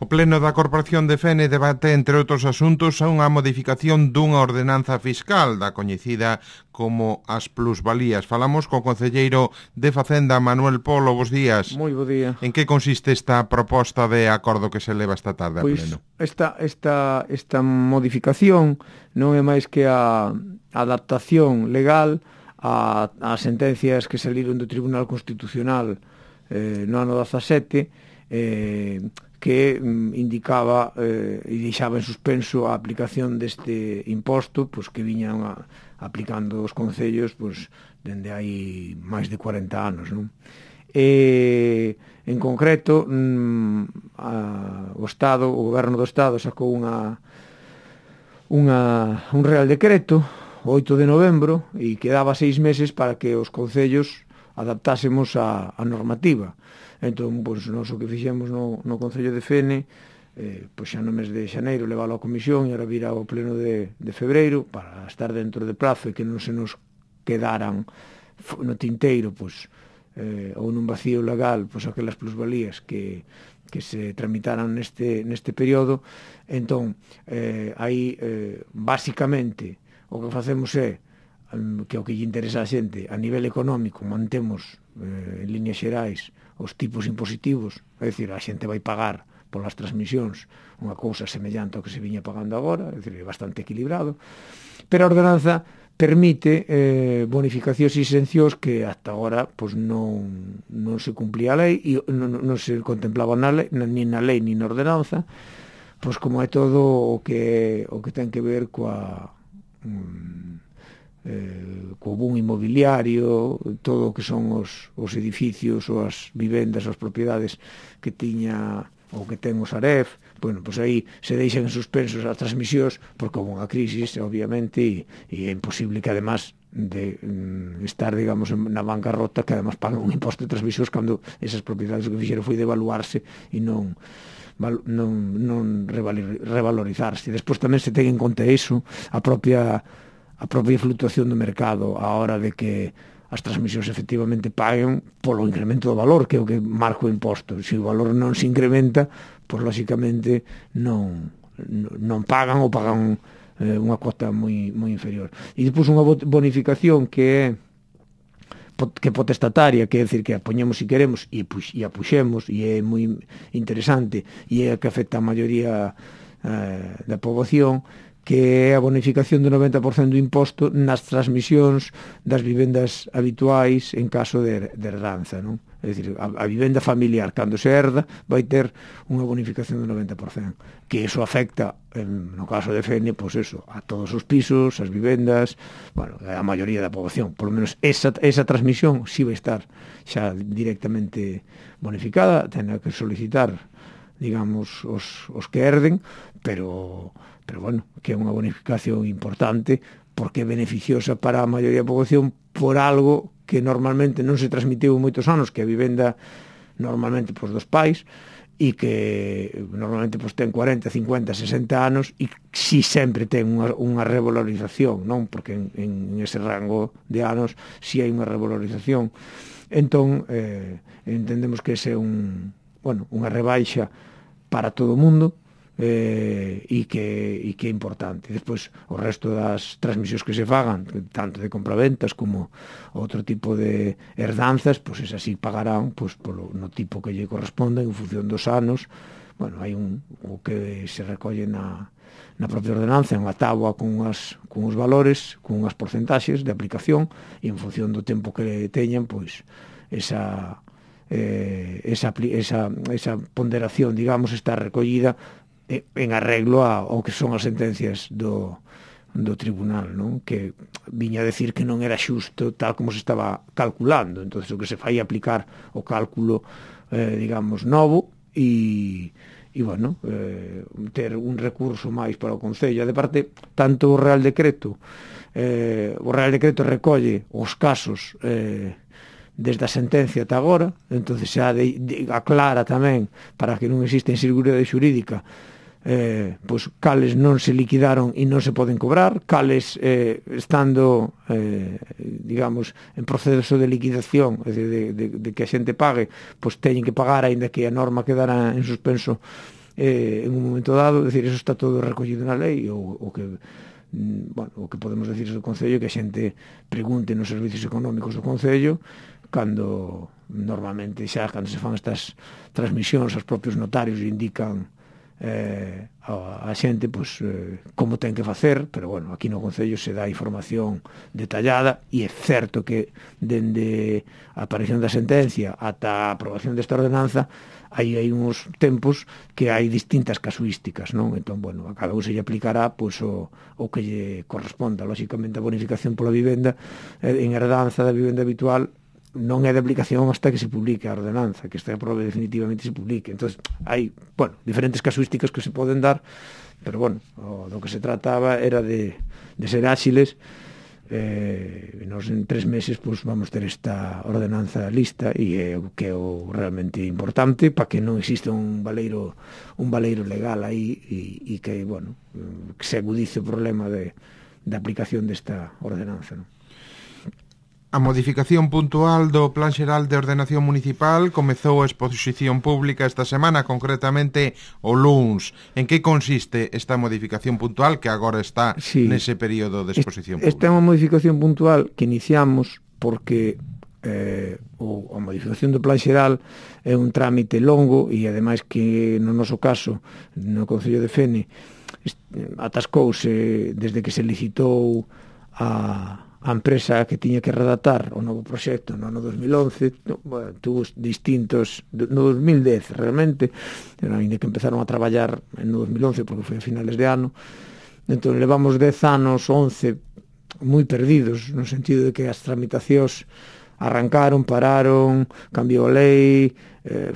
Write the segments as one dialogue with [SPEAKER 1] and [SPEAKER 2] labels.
[SPEAKER 1] O Pleno da Corporación de Fene debate, entre outros asuntos, unha modificación dunha ordenanza fiscal da coñecida como as plusvalías. Falamos co concelleiro de Facenda, Manuel Polo. Bos días.
[SPEAKER 2] Moi bo día.
[SPEAKER 1] En que consiste esta proposta de acordo que se leva esta tarde a Pleno?
[SPEAKER 2] Esta modificación non é máis que a adaptación legal a sentencias que saliron do Tribunal Constitucional no ano 17, que indicaba e deixaba en suspenso a aplicación deste imposto, pois que viñan aplicando os concellos pois dende hai máis de 40 anos, non? En concreto, o Goberno do Estado sacou un Real Decreto o 8 de novembro e quedaba 6 meses para que os concellos adaptásemos a normativa. Entón, pois, nós o que fixemos no Concello de Fene, pois xa no mes de xaneiro leválo á comisión e ahora virá ao pleno de febreiro para estar dentro de prazo e que non se nos quedaran no tinteiro, pois, ou nun vacío legal, pois aquelas plusvalías que se tramitaran neste período. Entón, aí, basicamente, o que facemos é que o que lle interesa a xente a nivel económico, mantemos en líneas xerais os tipos impositivos, é dicir, a xente vai pagar polas transmisións unha cousa semellante ao que se viña pagando agora, é dicir, é bastante equilibrado, pero a ordenanza permite bonificacións e exencións que hasta agora pois non se cumplía a lei e non se contemplaba nin na lei nin na ordenanza, pois como é todo o que ten que ver co boom inmobiliario, todo o que son os edificios ou as vivendas, as propiedades que tiña ou que ten o Saref. Bueno, pois aí se deixan en suspensos as transmisións porque houve unha crisis, obviamente, e é imposible que además de estar, digamos, na bancarrota, que además pagan un imposto de transmisións cando esas propiedades o que fixeron foi devaluarse e non revalorizarse. Despois tamén se ten en conta iso, a propia fluctuación do mercado a hora de que as transmisións efectivamente paguen polo incremento do valor, que é o que marca o imposto. Se o valor non se incrementa, pois lógicamente non pagan ou pagan unha cota moi inferior. E depois unha bonificación que é potestataria, que é dicir que a poñemos se queremos e a puxemos, e é moi interesante e é a que afecta a maioría da poboación, que é a bonificación do 90% do imposto nas transmisións das vivendas habituais en caso de herdanza, non? É dicir, a vivenda familiar, cando se herda, vai ter unha bonificación do 90%, que iso afecta, no caso de Fene, pois eso, a todos os pisos, as vivendas, bueno, a maioría da poboación. Por lo menos esa transmisión si vai estar xa directamente bonificada, ten que solicitar, digamos, os que herden, pero bueno, que é unha bonificación importante porque é beneficiosa para a maioría da poboación por algo que normalmente non se transmitiu moitos anos, que a vivenda normalmente pois dos pais e que normalmente pois ten 40, 50, 60 anos e si sempre ten unha revalorización, non? Porque en ese rango de anos si hai unha revalorización. Entón, entendemos que ese é unha rebaixa para todo o mundo, e que é importante. Despois, o resto das transmisións que se fagan, tanto de compraventas como outro tipo de herdanzas, pois esas sí pagarán pois no tipo que lle corresponda en función dos anos. Bueno, hai o que se recolle na propia ordenanza, unha táboa con os valores, con unhas porcentaxes de aplicación, e en función do tempo que teñan, pois esa ponderación, digamos, está recollida en arreglo ao que son as sentencias do tribunal, non? Que viña a decir que non era xusto tal como se estaba calculando. Entonces o que se fai é aplicar o cálculo, digamos, novo e bueno, ter un recurso máis para o Concello. De parte, tanto o Real Decreto recolle os casos desde a sentencia ata agora, entonces xa aclara tamén para que non exista inseguridade xurídica, pois cales non se liquidaron e non se poden cobrar, cales estando digamos en proceso de liquidación, de que a xente pague, pois teñen que pagar aínda que a norma quedara en suspenso en un momento dado, decir, eso está todo recollido na lei, o que podemos decir do Concello, que a xente pregunte nos servicios económicos do Concello, cando normalmente xa, cando se fan estas transmisións, os propios notarios indican a xente como ten que facer, pero bueno, aquí no Concello se dá información detallada, e é certo que dende a aparición da sentencia ata a aprobación desta ordenanza hai uns tempos que hai distintas casuísticas, non? Entón, bueno, a cada un se lle aplicará o que lle corresponda. Lóxicamente, a bonificación pola vivenda en herdanza da vivenda habitual non é de aplicación hasta que se publique a ordenanza, que esta aprobe definitivamente se publique. Entón, hai, diferentes casuísticas que se poden dar, pero, do que se trataba era de ser áxiles. Nos en 3 meses vamos ter esta ordenanza lista, e é o que é o realmente importante para que non exista un baleiro legal aí, e que, que se agudice o problema de aplicación desta ordenanza, non?
[SPEAKER 1] A modificación puntual do Plan Xeral de Ordenación Municipal comezou a exposición pública esta semana, concretamente o luns. En que consiste esta modificación puntual que agora está nese período de exposición pública?
[SPEAKER 2] Esta é unha modificación puntual que iniciamos porque a modificación do Plan Xeral é un trámite longo, e ademais que no noso caso, no Concello de Fene, atascouse desde que se licitou a empresa que tiña que redactar o novo proxecto no ano 2011, tuvo distintos, no 2010 realmente, ainda que empezaron a traballar no 2011 porque foi a finales de ano. Entón levamos 10 anos, 11 moi perdidos, no sentido de que as tramitacións arrancaron, pararon, cambiou a lei,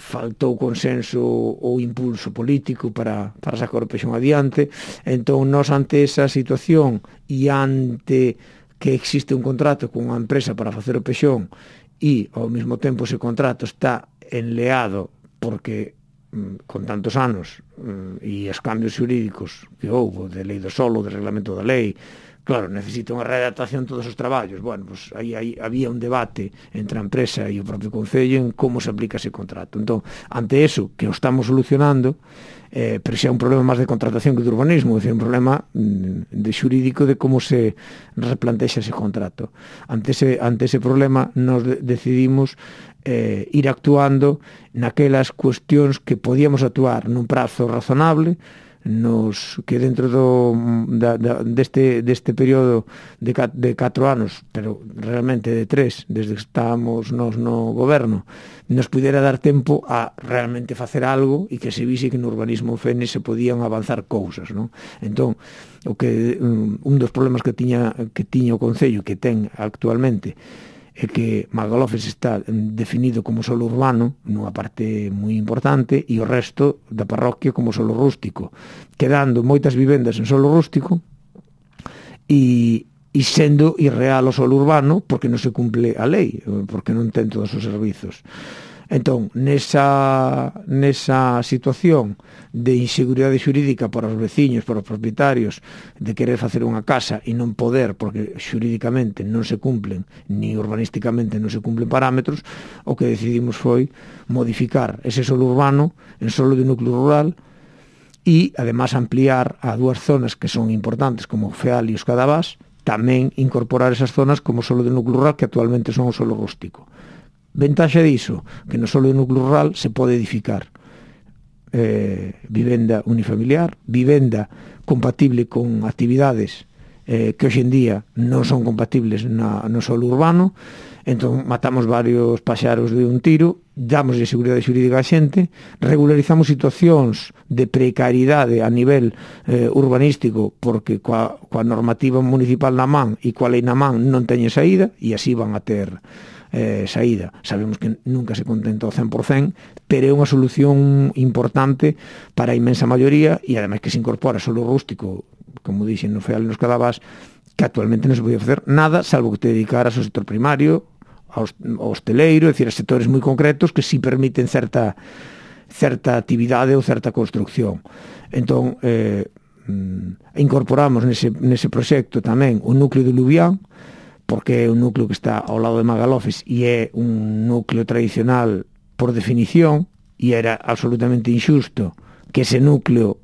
[SPEAKER 2] faltou consenso ou impulso político para sacar o pexón adiante. Entón nós, ante esa situación e ante que existe un contrato con unha empresa para facer o pexón, e ao mesmo tempo ese contrato está enleado porque con tantos anos e os cambios xurídicos que houve de lei do solo, de reglamento da lei, claro, necesita unha readaptación todos os traballos. Aí había un debate entre a empresa e o propio Concello en como se aplica ese contrato. Entón, ante eso, que o estamos solucionando, pero xa é un problema máis de contratación que de urbanismo, é un problema de xurídico de como se replantexa ese contrato. Ante ese problema, nos decidimos ir actuando naquelas cuestións que podíamos actuar nun prazo razonable, que dentro deste período de 4 anos, pero realmente de 3, desde que estábamos nos no goberno, nos pudera dar tempo a realmente facer algo, e que se vise que no urbanismo Fene se podían avanzar cousas, non? Entón, un dos problemas que tiña o Concello, que ten actualmente, é que Magalofes está definido como solo urbano nunha parte moi importante, e o resto da parroquia como solo rústico, quedando moitas vivendas en solo rústico e sendo irreal o solo urbano porque non se cumple a lei, porque non ten todos os servizos. Entón, nesa situación de inseguridade xurídica para os veciños, para os propietarios, de querer facer unha casa e non poder, porque xurídicamente non se cumplen, ni urbanísticamente non se cumplen parámetros, o que decidimos foi modificar ese solo urbano en solo de núcleo rural, e además ampliar a 2 zonas que son importantes, como o Feal e os Cadavás, tamén incorporar esas zonas como solo de núcleo rural, que actualmente son o solo rústico. Ventaxa diso, que no solo de núcleo rural se pode edificar vivenda unifamiliar, vivenda compatible con actividades que hoxe en día non son compatibles no solo urbano. Entón matamos varios paxaros de un tiro, damos de seguridade xurídica a xente, regularizamos situacións de precariedade a nivel urbanístico, porque coa normativa municipal na man e coa lei na man non teñen saída, e así van a ter saída. Sabemos que nunca se contenta ao 100%, pero é unha solución importante para a inmensa maioría, e ademais que se incorpora solo rústico, como dixen no Feal e nos Cadavás, que actualmente non se podía facer nada, salvo que te dedicaras ao sector primario, ao hosteleiro, é dicir, a sectores moi concretos que si permiten certa actividade ou certa construcción. Entón, incorporamos nese proxecto tamén o núcleo de Lubián, porque é un núcleo que está ao lado de Magalofes e é un núcleo tradicional por definición, e era absolutamente injusto que ese núcleo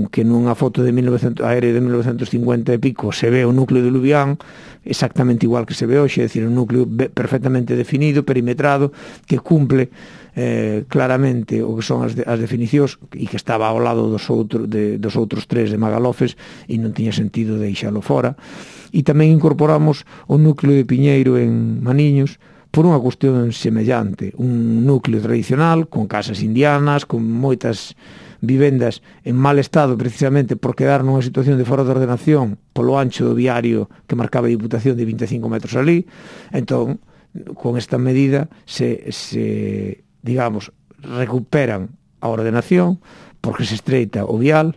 [SPEAKER 2] que nunha foto de 1900, aérea de 1950 e pico se ve o núcleo de Lubián exactamente igual que se ve hoxe, é dicir, un núcleo perfectamente definido, perimetrado, que cumple claramente o que son as definicións e que estaba ao lado dos outros tres de Magalofes e non tiña sentido deixalo fora. E tamén incorporamos o núcleo de Piñeiro en Maniños por unha cuestión semellante, un núcleo tradicional con casas indianas, con moitas vivendas en mal estado precisamente por quedar nunha situación de fora de ordenación polo ancho do viario que marcaba a Diputación de 25 metros ali. Entón, con esta medida se digamos, recuperan a ordenación porque se estreita o vial,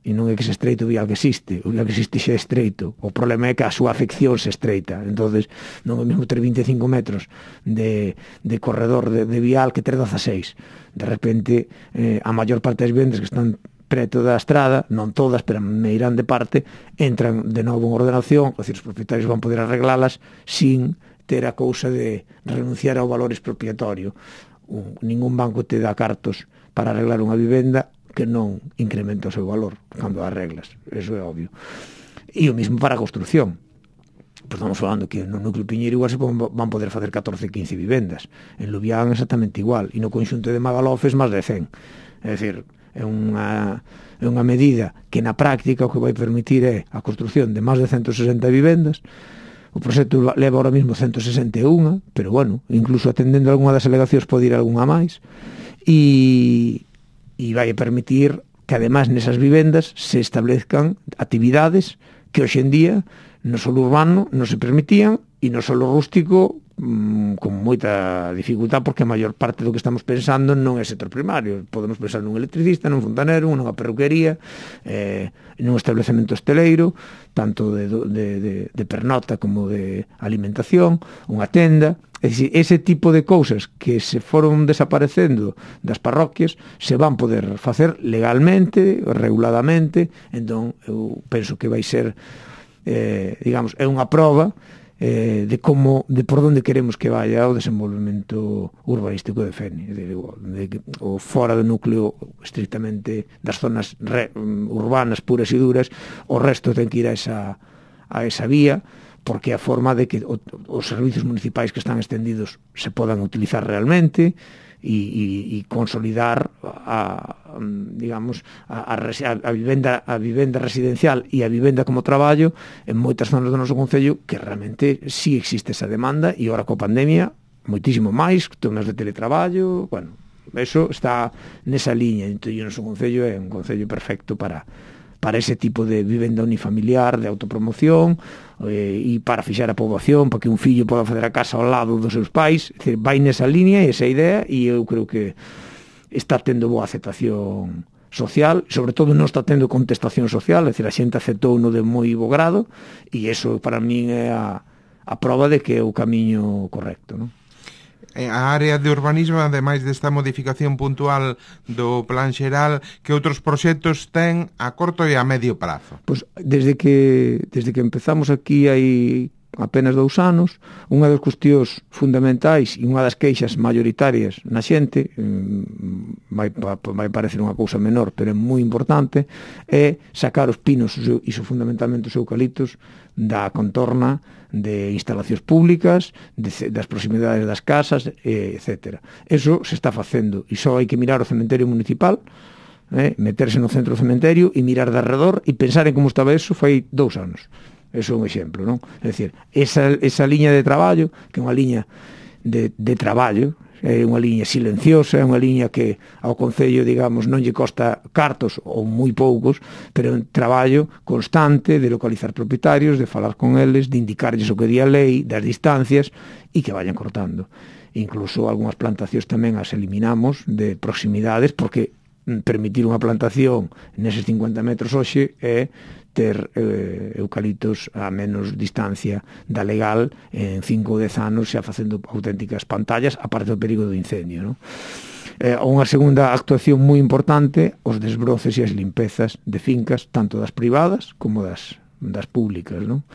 [SPEAKER 2] e non é que se estreite o vial que existe, o vial que existe xa é estreito, o problema é que a súa afección se estreita. Entonces non é mesmo ter 25 metros de corredor de vial que ter 16. De repente a maior parte das vendas que están preto da estrada, non todas, pero meirán de parte, entran de novo en ordenación, é dicir, os propietarios van poder arreglalas sin ter a cousa de renunciar ao valor expropiatorio. Ningún banco te dá cartos para arreglar unha vivenda que non incrementa o seu valor cando as reglas, eso é obvio. E o mesmo para a construción. Pois estamos falando que no núcleo Piñeiro igual se van poder facer 14, 15 vivendas. En Lubián exactamente igual, e no conxunto de Magalofes máis de 100. É dicir, é unha medida que na práctica o que vai permitir é a construción de máis de 160 vivendas. O proxecto leva ahora mesmo 161, pero bueno, incluso atendendo a algunha das alegacións pode ir algunha máis, e vai permitir que ademais nesas vivendas se establezcan actividades que hoxe en día no solo urbano non se permitían e no solo rústico con moita dificultad, porque a maior parte do que estamos pensando non é sector primario. Podemos pensar nun electricista, nun fontanero, nunha perruquería, nun establecemento hosteleiro, tanto de pernota como de alimentación, unha tenda. É dicir, ese tipo de cousas que se foron desaparecendo das parroquias se van poder facer legalmente, reguladamente. Entón, eu penso que vai ser, digamos, é unha proba de por onde queremos que vaya o desenvolvemento urbanístico de Fene, o fora do núcleo estrictamente das zonas urbanas puras e duras. O resto ten que ir a esa vía, porque é a forma de que os servicios municipais que están extendidos se podan utilizar realmente e consolidar a vivenda residencial e a vivenda como traballo en moitas zonas do noso concello, que realmente sí existe esa demanda, e agora coa pandemia moitísimo máis, zonas de teletraballo. Bueno, eso está nesa liña. Entón, o noso concello é un concello perfecto para ese tipo de vivenda unifamiliar, de autopromoción, e para fixar a poboación, para que un fillo poda facer a casa ao lado dos seus pais. É dicir, vai nesa línea, esa idea, e eu creo que está tendo boa aceptación social, sobre todo non está tendo contestación social, é dicir, a xente aceptou no de moi bo grado, e iso para min é a prova de que é o camiño correcto, non?
[SPEAKER 1] A área de urbanismo, ademais desta modificación puntual do plan xeral, que outros proxectos ten a corto e a medio prazo?
[SPEAKER 2] Pois desde que empezamos aquí hai apenas 2 anos, unha das cuestións fundamentais e unha das queixas maioritarias na xente, vai parecer unha cousa menor, pero é moi importante, é sacar os pinos e fundamentalmente os eucaliptos da contorna de instalacións públicas, das proximidades das casas, etc. Eso se está facendo, e só hai que mirar o cementerio municipal, meterse no centro do cementerio e mirar de arredor e pensar en como estaba eso fai 2 anos. Eso é un exemplo, non? É dicir, esa liña de traballo, que é unha liña de traballo, é unha liña silenciosa, é unha liña que ao Concello, digamos, non lle costa cartos ou moi poucos, pero é un traballo constante de localizar propietarios, de falar con eles, de indicarlles o que di a lei, das distancias, e que vayan cortando. Incluso algunhas plantacións tamén as eliminamos de proximidades, porque permitir unha plantación neses 50 metros hoxe é ter eucaliptos a menos distancia da legal en 5 ou 10 anos, xa facendo auténticas pantallas, aparte do perigo do incendio, non? Unha segunda actuación moi importante, os desbroces e as limpezas de fincas, tanto das privadas como das públicas, non?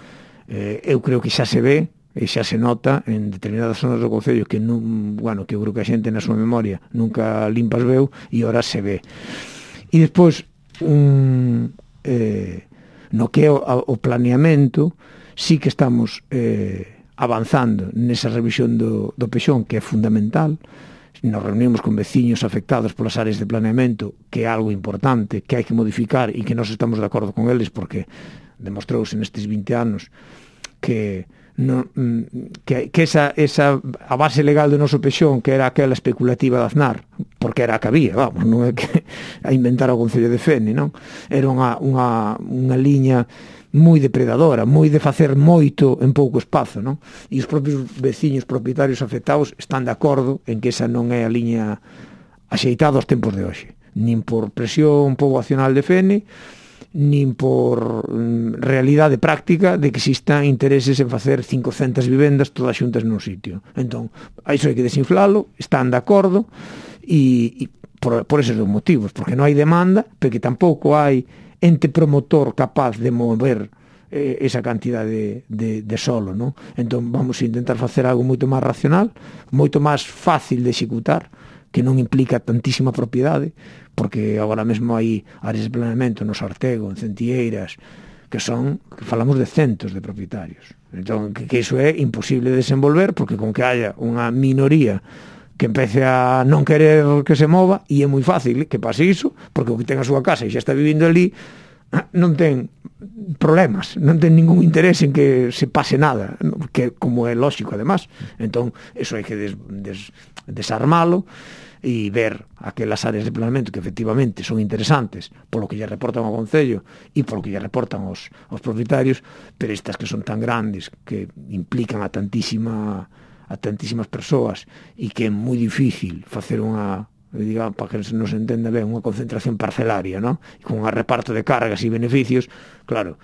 [SPEAKER 2] Eu creo que xa se ve e xa se nota en determinadas zonas do concello que non, bueno, que eu creo que a xente na súa memoria nunca limpas veu, e ora se ve. E despois no que é o planeamento, sí que estamos avanzando nesa revisión do Pexón, que é fundamental. Nos reunimos con veciños afectados polas áreas de planeamento, que é algo importante, que hai que modificar e que nós estamos de acordo con eles, porque demostrouse nestes 20 anos que esa a base legal do noso Pexón, que era aquela especulativa de Aznar, porque era a que había, vamos, non é que a inventar o Concello de Fene, non? Era unha liña moi depredadora, moi de facer moito en pouco espazo, non? E os propios veciños propietarios afectados están de acordo en que esa non é a liña axeitada aos tempos de hoxe, nin por presión poboacional de Fene, nin por realidade práctica de que existan intereses en facer 500 vivendas todas xuntas nun sitio. Entón, a iso hai que desinflalo, están de acordo, e por esos dos motivos, porque non hai demanda, porque tampouco hai ente promotor capaz de mover esa cantidade de solo, non? Entón vamos a intentar facer algo moito máis racional, moito máis fácil de executar, que non implica tantísima propiedade, porque agora mesmo hai áreas de planeamento no Sartego, en Centieiras, que falamos de centos de propietarios. Entón, que iso é imposible de desenvolver, porque con que haya unha minoría que empece a non querer que se mova, e é moi fácil que pase iso, porque o que ten a súa casa e xa está vivindo ali non ten problemas, non ten ningún interés en que se pase nada, que como é lógico además. Entón, eso hai que desarmalo e ver aquelas áreas de planeamento que efectivamente son interesantes polo que lle reportan ao Concello e polo que lle reportan aos propietarios, pero estas que son tan grandes, que implican a tantísimas persoas, e que é moi difícil facer unha, digamos, para que nos entenda ben, unha concentración parcelaria, non? E con un reparto de cargas e beneficios, claro,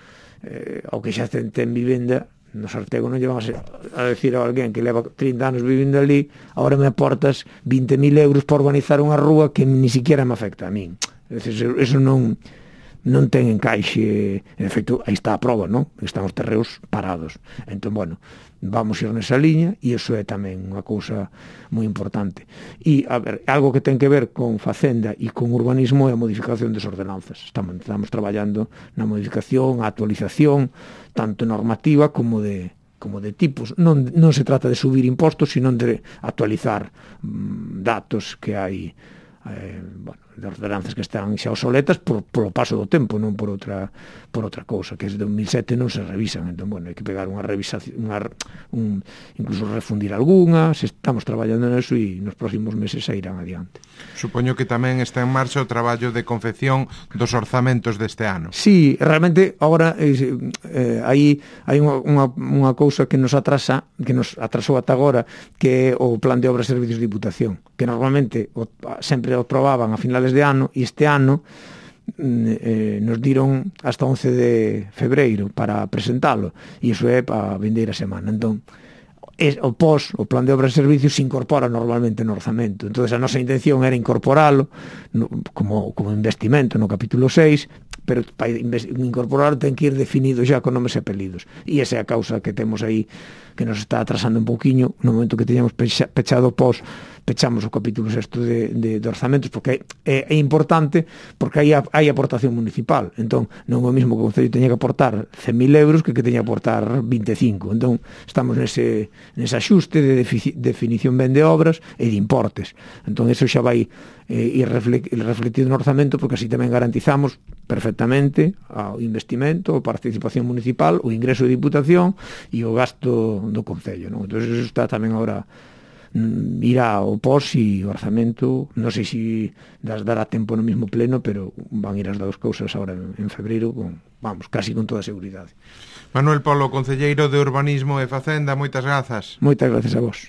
[SPEAKER 2] ao que xa ten vivenda no Sartego non lle van a decir a alguén que leva 30 anos vivindo ali, agora me aportas 20.000 euros para organizar unha rúa que ni siquiera me afecta a min. Eso non ten encaixe. En efecto, aí está a prova, non? Están os terreos parados. Entón, bueno, vamos ir nesa liña, e iso é tamén unha cousa moi importante. E, a ver, algo que ten que ver con Facenda e con urbanismo é a modificación das ordenanzas. Estamos traballando na modificación, a actualización, tanto normativa como de tipos. Non se trata de subir impostos, sino de actualizar datos que hai, de ordenanzas que están xa obsoletas polo paso do tempo, non por outra cousa, que desde 2007 non se revisan. Entón, bueno, hai que pegar unha revisación, incluso refundir algunhas. Estamos traballando neso e nos próximos meses sairán adiante.
[SPEAKER 1] Supoño que tamén está en marcha o traballo de confección dos orzamentos deste ano.
[SPEAKER 2] Sí, realmente agora hai unha cousa que nos atrasou ata agora, que é o Plan de Obras e Servicios de Diputación, que normalmente sempre o aprobaban a finales de ano, e este ano nos diron hasta 11 de febreiro para presentalo, e iso é para a vindeira semana. Entón, o Plan de Obras e Servicios se incorpora normalmente no orzamento. Entón, a nosa intención era incorporalo como investimento no capítulo 6, pero para incorporarlo ten que ir definido xa con nomes e apelidos. E esa é a causa que temos aí, que nos está atrasando un pouquiño. No momento que teñamos pechado pechamos o capítulo 6 de orzamentos, porque é importante, porque hai aportación municipal. Entón, non é o mesmo que o Concello teña que aportar 100.000 euros que teña que aportar 25. Entón, estamos nese axuste de definición ben de obras e de importes. Entón, eso xa vai ir refletido no orzamento, porque así tamén garantizamos perfectamente o investimento, a participación municipal, o ingreso de diputación e o gasto do Concello, non? Entón, eso está tamén agora, irá ao pos, e o orzamento non sei se dará tempo no mesmo pleno, pero van ir as dúas cousas agora en febreiro, casi con toda a seguridade.
[SPEAKER 1] Manuel Polo, concelleiro de Urbanismo e Facenda, moitas grazas.
[SPEAKER 2] Moitas grazas a vos.